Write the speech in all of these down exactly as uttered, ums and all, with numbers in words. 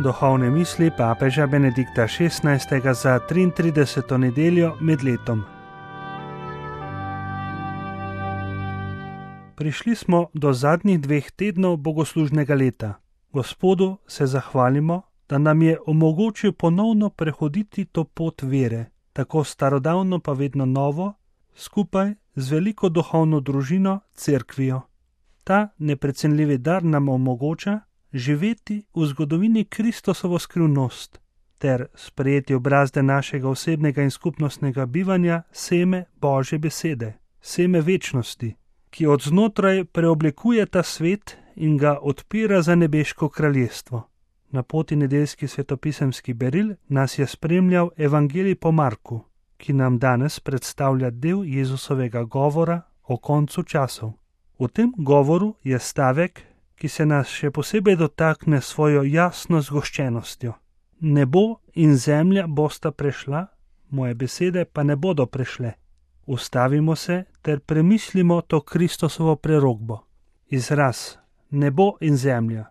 Duhovne misli papeža Benedikta šestnajstega za triintrideseto nedeljo med letom. Prišli smo do zadnjih dveh tednov bogoslužnega leta. Gospodu se zahvalimo, da nam je omogočil ponovno prehoditi to pot vere, tako starodavno pa vedno novo, skupaj z veliko duhovno družino, cerkvijo. Ta neprecenljivi dar nam omogoča živeti v zgodovini Kristosovo skrivnost ter sprejeti obrazde našega osebnega in skupnostnega bivanja seme Božje besede, seme večnosti, ki od znotraj preoblikuje ta svet in ga odpira za nebeško kraljestvo. Na poti nedeljski svetopisemski beril nas je spremljal Evangelij po Marku, ki nam danes predstavlja del Jezusovega govora o koncu časov. V tem govoru je stavek, ki se nas še posebej dotakne svojo jasno zgoščenostjo. Nebo in zemlja bosta prešla, moje besede pa ne bodo prešle. Ustavimo se ter premislimo to Kristosovo prerokbo. Izraz nebo in zemlja,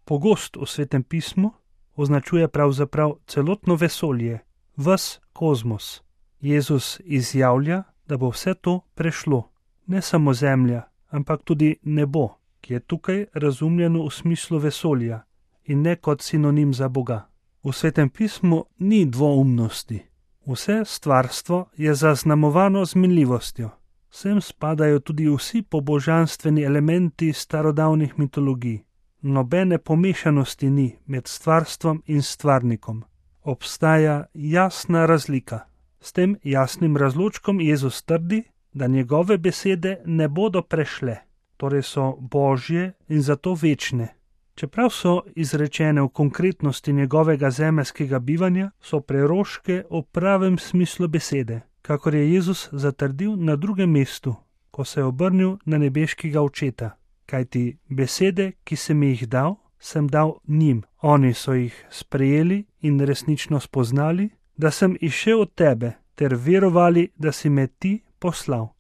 pogost v Svetem pismu, označuje pravzaprav celotno vesolje, ves kozmos. Jezus izjavlja, da bo vse to prešlo, ne samo zemlja, ampak tudi nebo, ki je tukaj razumljeno v smislu vesolja in ne kot sinonim za Boga. V Svetem pismu ni dvoumnosti. Vse stvarstvo je zaznamovano z minljivostjo. Sem spadajo tudi vsi pobožanstveni elementi starodavnih mitologij. Nobene pomešanosti ni med stvarstvom in stvarnikom. Obstaja jasna razlika. S tem jasnim razločkom Jezus trdi, da njegove besede ne bodo prešle, torej so Božje in zato večne. Čeprav so izrečene v konkretnosti njegovega zemeljskega bivanja, so preroške v pravem smislu besede, kakor je Jezus zatrdil na drugem mestu, ko se je obrnil na nebeškega očeta. Kajti besede, ki sem jih dal, sem dal njim. Oni so jih sprejeli in resnično spoznali, da sem izšel od tebe, ter verovali, da si me ti poslal.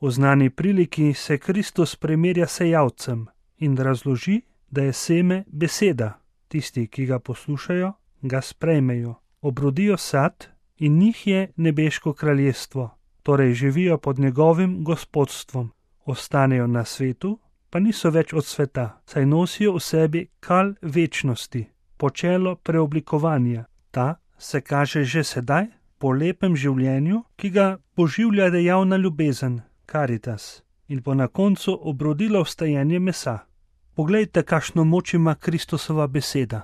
V znani priliki se Kristus primerja s sejavcem in razloži, da je seme beseda. Tisti, ki ga poslušajo, ga sprejmejo, obrodijo sad in njih je nebeško kraljestvo, torej živijo pod njegovim gospodstvom. Ostanejo na svetu, pa niso več od sveta, saj nosijo v sebi kal večnosti, počelo preoblikovanja. Ta se kaže že sedaj po lepem življenju, ki ga poživlja dejavna ljubezen, karitas, in bo na koncu obrodilo vstajenje mesa. Poglejte, kakšno moč ima Kristusova beseda.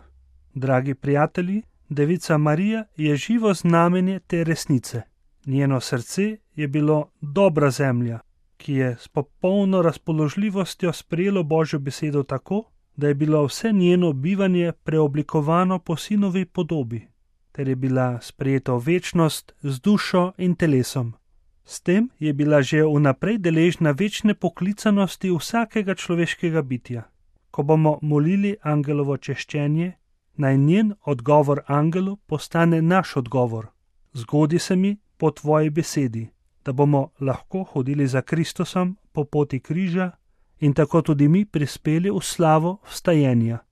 Dragi prijatelji, Devica Marija je živo znamenje te resnice. Njeno srce je bilo dobra zemlja, ki je s popolno razpoložljivostjo sprejelo Božjo besedo tako, da je bilo vse njeno bivanje preoblikovano po sinovi podobi, ter je bila sprejeta v večnost z dušo in telesom. S tem je bila že vnaprej deležna večne poklicanosti vsakega človeškega bitja. Ko bomo molili angelovo češčenje, naj njen odgovor angelu postane naš odgovor. Zgodi se mi po tvoji besedi, da bomo lahko hodili za Kristusom po poti križa in tako tudi mi prispeli v slavo vstajenja.